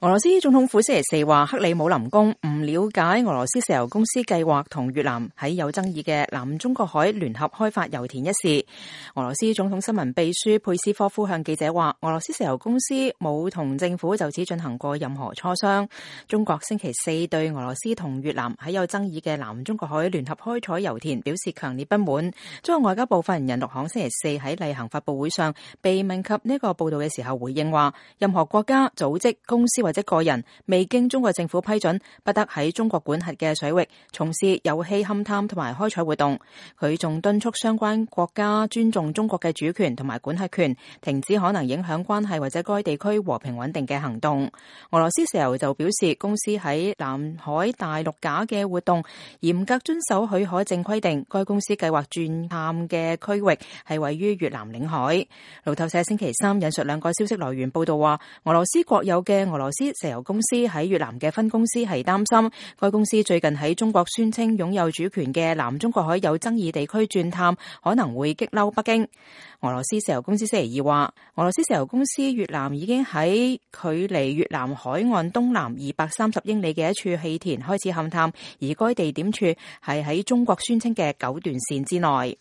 俄羅斯總統府星期四話，克里姆林宮唔了解俄羅斯石油公司計劃同越南喺有爭議嘅南中國海聯合開發油田一事。俄羅斯總統新聞秘書佩斯科夫向記者話，俄羅斯石油公司冇同政府就此進行過任何磋商。中國星期四對俄羅斯同越南喺有爭議嘅南中國海聯合開採油田表示強烈不滿。中國外交部發言人陸慷星期四喺例行發佈會上被問及呢個報道嘅時候回應話，任何國家、組織、公司或者個人未經中國政府批准，不得喺中國管轄嘅水域從事油氣勘探同埋開採活動。佢仲敦促相關國家尊重中國嘅主權同埋管轄權，停止可能影響關係或者該地區和平穩定嘅行動。俄羅斯石油就表示，公司喺南海大陸架嘅活動嚴格遵守許可證規定，該公司計劃鑽探嘅區域係位於越南領海。路透社星期三引述兩個消息來源報道話，俄羅斯國有嘅俄羅斯石油公司喺越南嘅分公司係擔心，該公司最近喺中國宣稱擁有主權嘅南中國海有爭議地區鑽探，可能會激嬲北京。俄羅斯石油公司星期二話，俄羅斯石油公司越南已經喺距離越南海岸東南230英里嘅一處氣田開始勘探，而該地點處係喺中國宣稱嘅9段線之內。